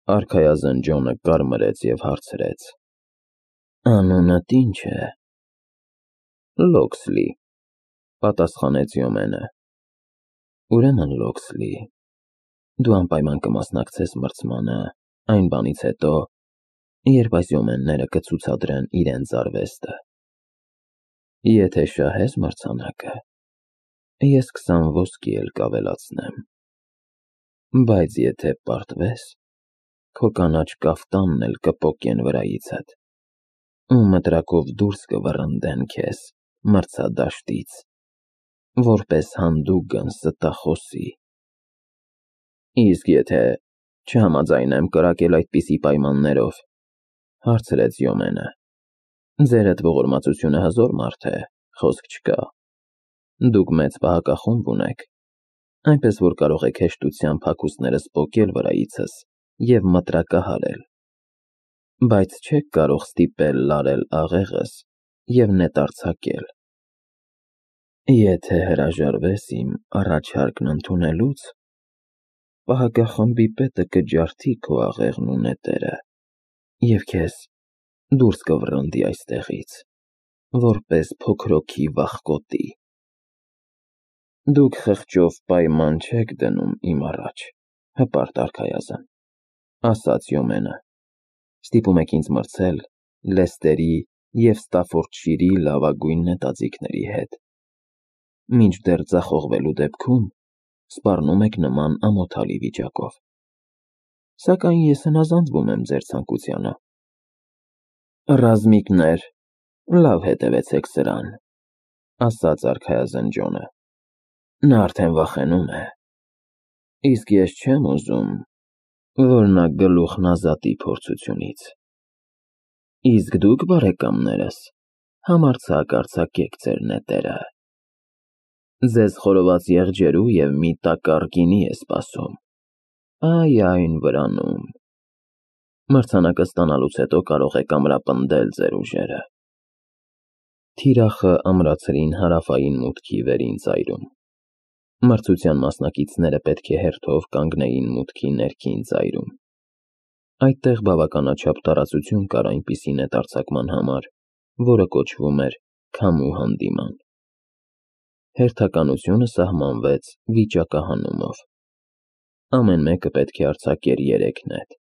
Արքայազն Ջոնը կարմրեց և հարցրեց. Անունդ ինչ է։ Լոքսլի, պատասխանեց Յոմենը։ Ուրեմն Լոքսլի, դու անպայման կմասնակցես մրցմանը այն բանից հետո, երբ այս յոմենները կցուցադրեն իրենց արվեստը։ Եթե շահես մրցանակը, ես 20 ոսկի էլ կավելացնեմ, բայց եթե պարտվես, քո կանաչ կաֆտանն էլ կպոկեն վրայիցդ, ու մտրակով դուրս կվռնդեն քեզ մրցադաշտից, որպես հանդուգն ստախոսի։ Իսկ եթե չհամաձայնեմ կրակել այդպիսի պայմաններով, հարցրեց Յոմենը, ձերդ ողորմածությունը հզոր մարդ է, խոսք չկա։ Դուք մեծ պահակախումբ ունեք, այնպես որ կարող եք հեշտությամբ հագուստներս պոկել վրայիցս և մտրակահարել, բայց չեք կարող ստիպել լարել աղեղս և նետարձակել։ Եթե հրաժարվես իմ առաջարկն ընդունելուց, պահակախմբի պետը կջարդի քո աղեղն ու նետերը և քեզ դուրս կվռնդի այստեղից, որպես փոքրոքի վախկոտի։ Դուք խղճով պայման չեք դնում իմ առաջ, հպարտ արքայազն, ասաց Յոմենը, ստիպում եք ինձ մրցել Լեստերի և Ստաֆորդշիրի լավագույն նետաձիգների հետ, մինչդեռ ձախողվելու դեպքում սպառնում եք նման ամոթալի վիճակով։ Սակայն ես հնազանդվում եմ ձեր ցանկությանը։ Ռազմիկներ, լավ հետևեցեք սրան, ասաց արքայազն Ջոնը, նա արդեն վախենում է, իսկ ես չեմ ուզում, որ նա գլուխն ազատի փորձությունից։ Իսկ դուք, բարեկամներս, համարձակ արձակեք ձեր նետերը։ Ձեզ խորոված եղջերու և մի տակառ գինի է սպասում, այ այն վրանում։ Մրցանակը ստանալուց հետո կարող եք ամրապնդել ձեր ուժերը։ Թիրախը ամրացրին հարավային մուտքի վերին ծայրում։ Մրցության մասնակիցները պետք է հերթով կանգնեին մուտքի ներքին ծայրում։ Այդտեղ բավականաչափ տարածություն կար այնպիսի նետարձակման համար, որը կոչվում էր քամու հանդիման։ Հերթականությունը սահմանվեց վիճակահանումով։ Ամեն մեկը պետք է արձակեր 3 նետ։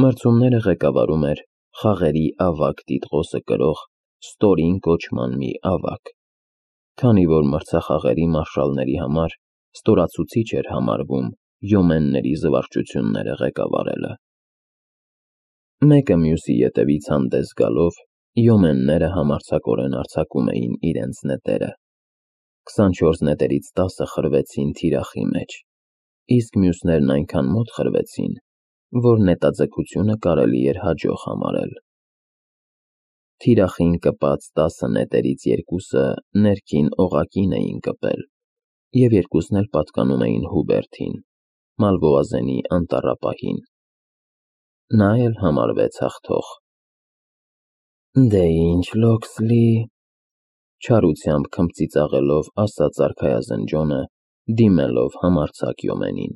Մրցումները ղեկավարում էր խաղերի ավագ տիտղոսը կրող ստորին կոչման մի ավագ, քանի որ մրցախաղերի մարշալների համար ստորացուցիչ էր համարվում յոմենների զվարճությունները ղեկավարելը։ Մեկը մյուսի ետևից հանդես գալով, յոմենները համարձակորեն արձակում էին իրենց նետերը։ 24 նետերից 10-ը խրվեցին թիրախի մեջ, իսկ մյուսներն այնքան մոտ խրվեցին, որ նետաձգությունը կարելի էր հաջող համարել։ Թիրախին կպած 10 նետերից 2-ը ներքին օղակին էին կպել, և 2-ն էլ պատկանում էին Հուբերտին, Մալվոազենի անտառապահին։ Նա էլ համարվեց հաղթող։ Դե ինչ, Լոքսլի, չարությամբ քմծիծաղելով ասաց արքայազն Ջոնը, դիմելով համարձակ Յոմենին,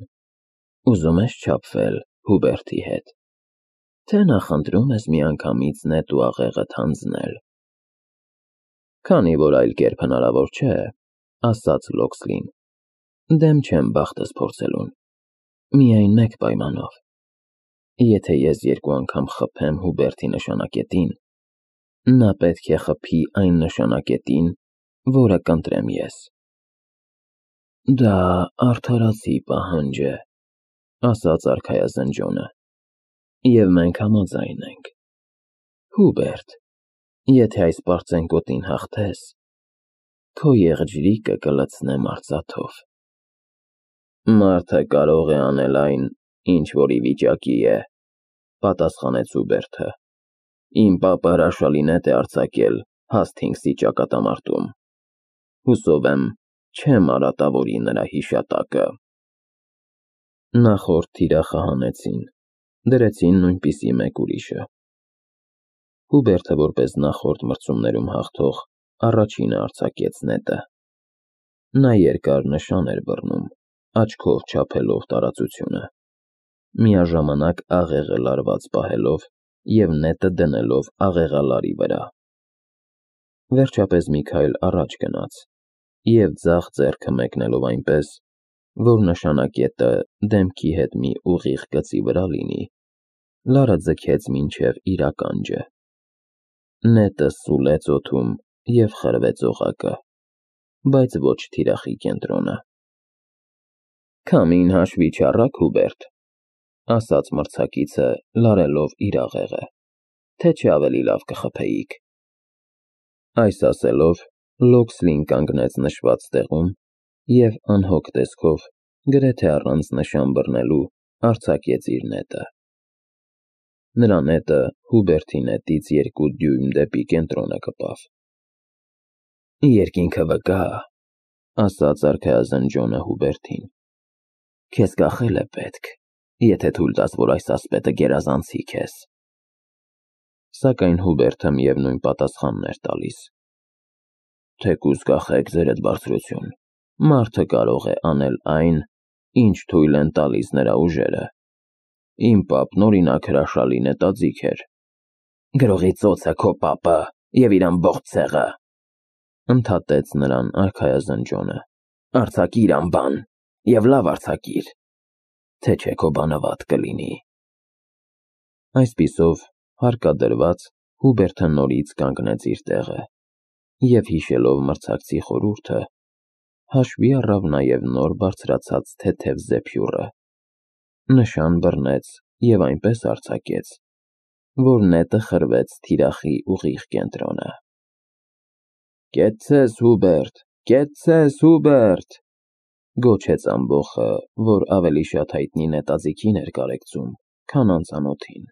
ուզում ես չափվել Հուբերտի հետ, թե նախընտրում ես միանգամից նետ ու աղեղդ հանձնել։ Քանի որ այլ կերպ հնարավոր չէ, ասաց Լոքսլին, դեմ չեմ բախտս փորձելուն, միայն մեկ պայմանով. եթե ես 2 անգամ խփեմ Հուբերտի նշանակետին, նա պետք է խփի այն նշանակետին, որը կընտրեմ ես։ Դա արդարացի պահանջ է, ասաց արքայազն Ջոնը, և մենք համաձայն ենք։ Հուբերտ, եթե այս պարծենկոտին հաղթես, քո եղջյուրիկը կլցնեմ արծաթով։ Մարդը կարող է անել այն, ինչ որ ի վիճակի է, պատասխանեց Հուբերտը։ Իմ պապը հրաշալի նետ է արձակել հաստ 5-ի ճակատամարտում։ Հուսով եմ, չեմ արատավորի նրա հիշատակը։ Նախորդ թիրախը հանեցին, դրեցին նույնպիսի մեկ ուրիշը։ Հուբերտը, որպես նախորդ մրցումներում հաղթող, առաջինը արձակեց նետը։ Նա երկար նշան էր բռնում, աչքով չափելով տարածությունը։ միաժամանակ աղեղը լարված պահելով և նետը դնելով աղեղալարի վրա։ Վերջապես մի քայլ առաջ գնաց և ձախ ձեռքը մեկնելով այնպես, որ նշանակետը դեմքի հետ մի ուղիղ գծի վրա լինի, լարը ձգեց մինչև իր ականջը։ Նետը սուլեց օդում և խրվեց օղակը, բայց ոչ թիրախի կենտրոնը։ «Քամին հաշվի չառաք, Հուբերտ», ասաց մրցակիցը, լարելով իր աղեղը, թե չէ ավելի լավ կխփեիք։ Այս ասելով, Լոքսլին կանգնեց նշված տեղում և անհոգ տեսքով, գրեթե առանց նշան բռնելու, արձակեց իր նետը։ Նրա նետը Հուբերտի նետից 2 դյույմ դեպի կենտրոնը կպավ։ «Երկինքը վկա», ասաց արքայազն Ջոնը Հուբերտին։ «Քեզ կախել է պետք, եթե թույլ տաս, որ այս ասպետը գերազանցի քեզ»։ Սակայն Հուբերտը միևնույն պատասխանն էր տալիս։ «Թեկուզ կախեք, ձերդ բարձրություն, մարդը կարող է անել այն, ինչ թույլ են տալիս նրա ուժերը։ Իմ պապն օրինակ հրաշալի նետաձիգ էր»։ «Գրողի ծոցը քո պապը և իր ամբողջ ցեղը», ընդհատեց նրան արքայազն Ջոնը։ «Արձակիր անբան և լավ արձակիր, թե չէ քո բանը վատ կլինի»։ Այսպիսով, հարկադրված, Հուբերտը նորից կանգնեց իր տեղը և հիշելով մրցակցի խորհուրդը, հաշվի առավ նաև նոր բարձրացած թեթև զեփյուռը, նշան բռնեց և այնպես արձակեց, որ նետը խրվեց թիրախի ուղիղ կենտրոնը։ «Կեցցես, Հուբերտ, կեցցես, Հուբերտ», գոչեց ամբոխը, որ ավելի շատ հայտնի նետաձիգին էր կարեկցում, քան անծանոթին։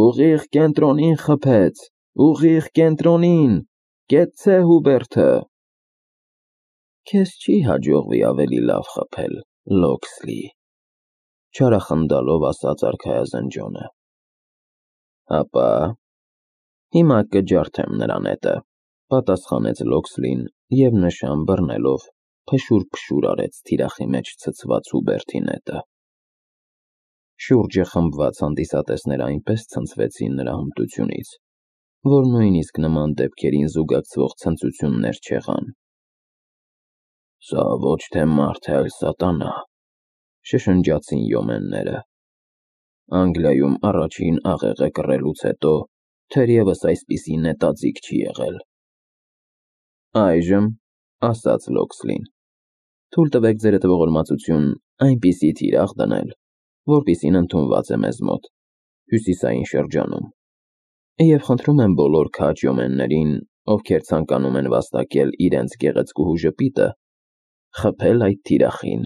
«Ուղիղ կենտրոնին խփեց, ուղիղ կենտրոնին, կեցցե Հուբերտը»։ «Քեզ չի հաջողվի ավելի լավ խփել, Լոքսլի», չարախնդալով ասաց արքայազն Ջոնը։ «Հապա, հիմա կջարդեմ նրա նետը», պատասխանեց Լոքսլին և նշան բռնելով փշուր արեց թիրախի մեջ ցցված Հուբերտի նետը։ Շուրջը խմբված հանդիսատեսները այնպես ցնցվեցին նրա հմտությունից, որ նույնիսկ նման դեպքերին զուգակցվող ցնծություններ չեղան։ «Սա ոչ թե մարդ է, այլ սատանա», շշնջացին յոմենները։ «Անգլիայում առաջին աղեղը կռելուց հետո թերևս այսպիսի նետաձիգ չի եղել»։ «Այժմ», ասաց Լոքսլին, «թույլ տվեք ձերդ ողորմածություն այնպիսի թիրախ դնել, որպիսին ընդունված է մեզ մոտ, հյուսիսային շրջանում, և խնդրում եմ բոլոր քաջ յոմեններին, ովքեր ցանկանում են վաստակել իրենց գեղեցկուհու ժպիտը, խփել այդ թիրախին»։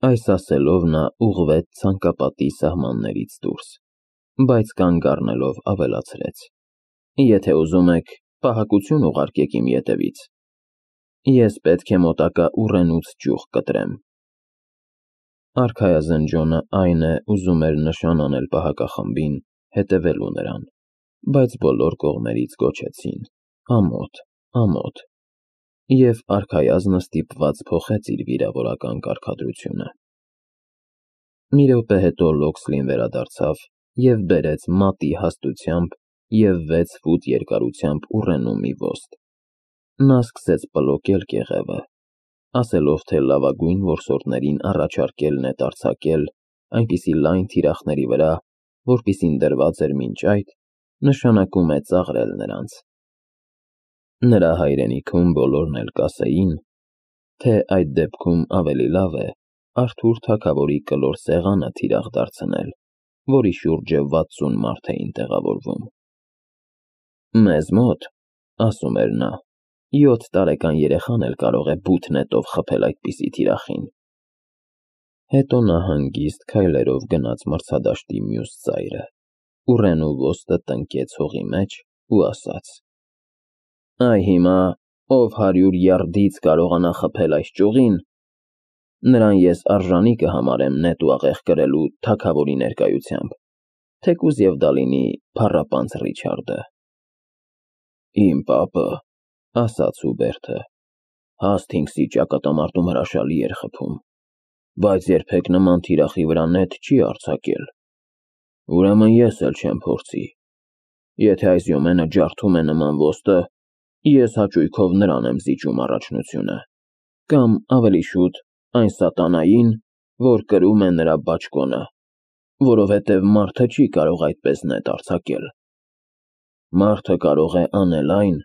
Այս ասելով նա ուղղվեց ցանկապատի սահմաններից դուրս, բայց կանգ առնելով ավելացրեց. «Եթե ուզում եք, պահակություն ուղարկեք իմ ետևից։ Ես պետք է մոտակա ուռենուց ճյուղ կտրեմ»։ Արքայազն Ջոնը այն է ուզում էր նշան անել պահակախմբին հետևելու նրան, բայց բոլոր կողմերից գոչեցին. «Ամոթ, ամոթ», և արքայազնը ստիպված փոխեց իր վիրավորական կարգադրությունը։ Մի րոպե հետո Լոքսլին վերադարձավ և բերեց մատի հաստությամբ և 6 ֆուտ երկարությամբ ուռենու մի ոստ։ Նա սկսեց պլոկել կեղևը, ասելով, թե լավագույն որսորդներին առաջարկել նետ արձակել այնպիսի լայն թիրախների վրա, որպիսին դրված էր մինչ այդ, նշանակում է ծաղրել նրանց։ Նրա հայրենիքում բոլորն էլ կասեին, թե այդ դեպքում ավելի լավ է Արթուր թագավորի կլոր սեղանը թիրախ դարձնել, որի շուրջը 60 մարդ էին տեղավորվում։ «Մեզ մոտ, ասում էր նա, 7 տարեկան երեխան էլ կարող է բութ նետով խփել այդպիսի թիրախին»։ Հետո նա հանգիստ քայլերով գնաց մրցադաշտի մյուս ծայրը, ուռենու ոստը տնկեց հողի մեջ ու ասաց. «Այ հիմա, ով 100 յարդից կարողանա խփել այս ճյուղին, նրան ես արժանի կհամարեմ նետ ու աղեղ կրելու թագավորի ներկայությամբ, թեկուզ և դա լինի փառապանծ Ռիչարդը»։ «Իմ պապը», ասաց Հուբերտը, «հաստ 5-ի ճակատամարտում հրաշալի էր խփում, բայց երբեք նման թիրախի վրա նետ չի արձակել։ Ուրեմն ես էլ չեմ փորձի։ Եթե այս յոմենը ջարդում է նման ոստը, ես հաճույքով նրան եմ զիջում առաջնությունը, կամ ավելի շուտ այն սատանային, որ կրում է նրա բաճկոնը, որովհետև մարդը չի կարող այդպես նետ արձակել։ Մարդը կարող է անել այն,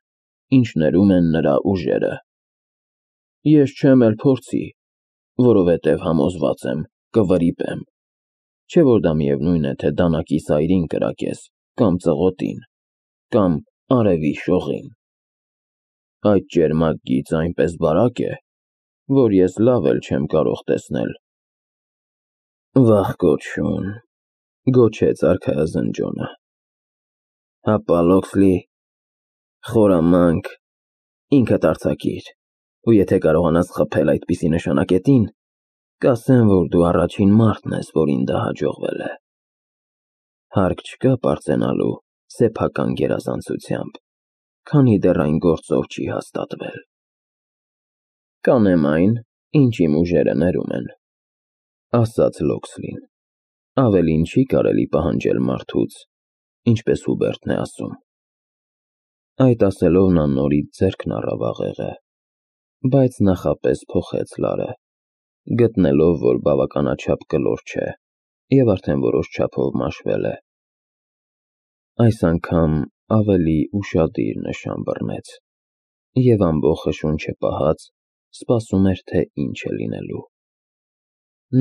ինչ ներում են նրա ուժերը։ Ես չեմ էլ փորձի, որովհետև համոզված եմ կվրիպեմ, չէ որ դա միևնույն է, թե դանակի սայրին կրակես, կամ ծղոտին, կամ արևի շողին։ Այդ ճերմակ գիծ այնպես բարակ է, որ ես լավ էլ չեմ կարող տեսնել։ Վախ կոչուն, գոչեց արքայազն Ջոնը։ Հապա Լոքսլի, խորամանկ, ինքդ արձակիր, ու եթե կարողանաս խփել այդպիսի նշանակետին, կասեմ, որ դու առաջին մարդն ես, որին դա հաջողվել է։ Հարկ չկա պարծենալու սեփական գերազանցությամբ, քանի դեռ այն գործով չի հաստատվել։ Կանեմ այն, ինչ իմ ուժերը ներում են, ասաց Լոքսլին։ Ավելին չի կարելի պահանջել մարդուց, ինչպես Հուբերտն է ասում։ Այդ ասելով նա նորից ձեռքն առավ աղեղը, բայց նախապես փոխեց լարը, գտնելով, որ բավականաչափ կլոր չէ և արդեն որոշ չափով մաշվել է։ Այս անգամ ավելի ուշադիր նշան բռնեց և ամբոխը շունչը պահած սպասում էր, թե ինչ է լինելու։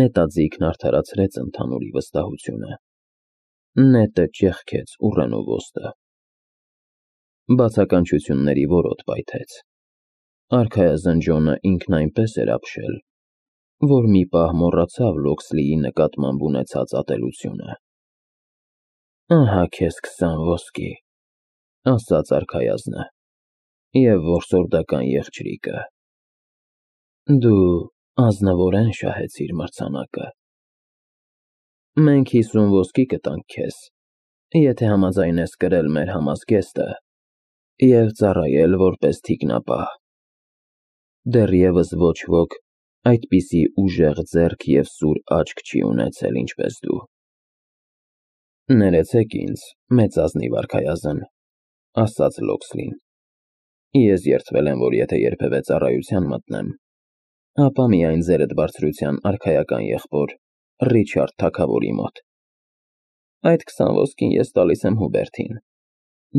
Նետաձիգն արդարացրեց ընդհանուրի վստահությունը։ Նետը ճեղքեց ուռենու ոստը։ Բացականչությունների որոտ պայթեց։ Արքայազն Ջոնը ինքն այնպես էր ապշել, որ մի պահ մոռացավ Լոքսլիի նկատմամբ ունեցած ատելությունը։ Ահա քեզ 20 ոսկի, ասաց արքայազնը, և որսորդական եղջրիկը։ Դու ազնվորեն շահեցիր մրցանակը։ Մենք 50 ոսկի կտանք քեզ, եթե համաձայնես կրել մեր համազգեստը և ծառայել որպես թիկնապահ։ Դեռևս ոչ ոք այդպիսի ուժեղ ձեռք և սուր աչք չի ունեցել, ինչպես դու։ Ներեցեք ինձ, մեծազնիվ արքայազն, ասաց Լոքսլին։ Ես երդվել եմ, որ եթե երբևէ ծառայության մտնեմ, ապա միայն ձերդ բարձրության արքայական եղբոր Ռիչարդ թագավորի մոտ։ Այդ 20 ոսկին ես տալիս եմ Հուբերտին։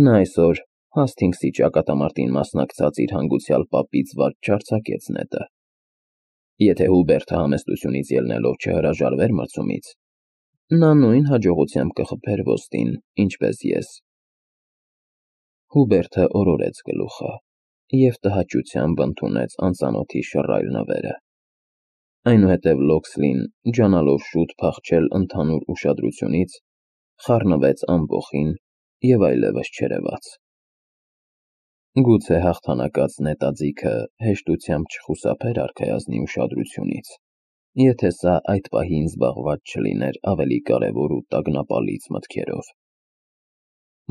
Նա այսօր Հասթինգսի ճակատամարտին մասնակցած իր հանգուցյալ պապից վատ չարձակեց նետը։ Եթե Հուբերտը համեստությունից ելնելով չհրաժարվեր մրցումից, նա նույն հաջողությամբ կխփեր ոստին, ինչպես ես։ Հուբերտը օրորեց գլուխը և տհաճությամբ ընդունեց անծանոթի շռայլ նվերը։ Այնուհետև Լոքսլին, ջանալով շուտ փախչել ընդհանուր ուշադրությունից, խառնվեց ամբոխին և այլևս չերևաց։ Գուցե հաղթանակած նետաձիգը հեշտությամբ չխուսափեր արքայազնի ուշադրությունից, եթե սա այդ պահին զբաղված չլիներ ավելի կարևոր ու տագնապալից մտքերով։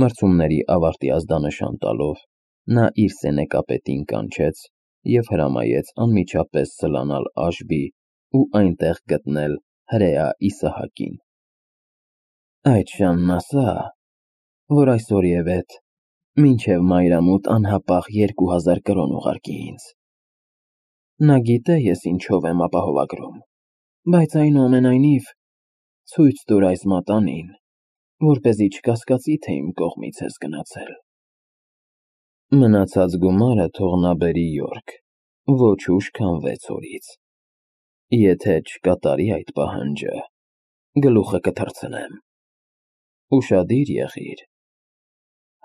Մրցումների ավարտի ազդանշան տալով, նա իր սենեկապետին կանչեց և հրամայեց անմիջապես սլանալ Աշբի ու այնտեղ գտնել հրեա Իսահակին։ Այդ շանն ասա, որ այսօրևեթ մինչև մայրամուտ անհապաղ 2000 կրոն ուղարկի ինձ։ Նա գիտե ես ինչով եմ ապահովագրում, բայց այնուամենայնիվ ցույց տուր այս մատանին, որպեսզի չկասկածի, թե իմ կողմից ես գնացել։ Մնացած գումարը թող նա բերի Յորք, ոչ ուշ, քան 6 օրից։ Եթե չկատարի այդ պահանջը, գլուխը կթռցնեմ։ Ուշադիր եղիր,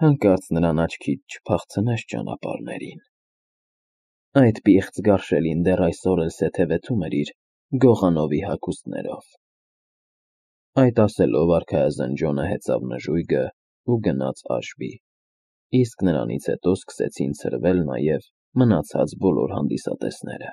հանկարծ նրան աչքից չփախցնես ճանապարհներին։ Այդ պիղծ գարշելին դեռ այսօր էլ սեթևեթում էր իր Գողանովի հագուստներով։ Այդ ասելով արքայազն Ջոնը հեծավ նժույգը ու գնաց Աշբի, իսկ նրանից հետո սկսեցին ցրվել նաև մնացած բոլոր հանդիսատեսները։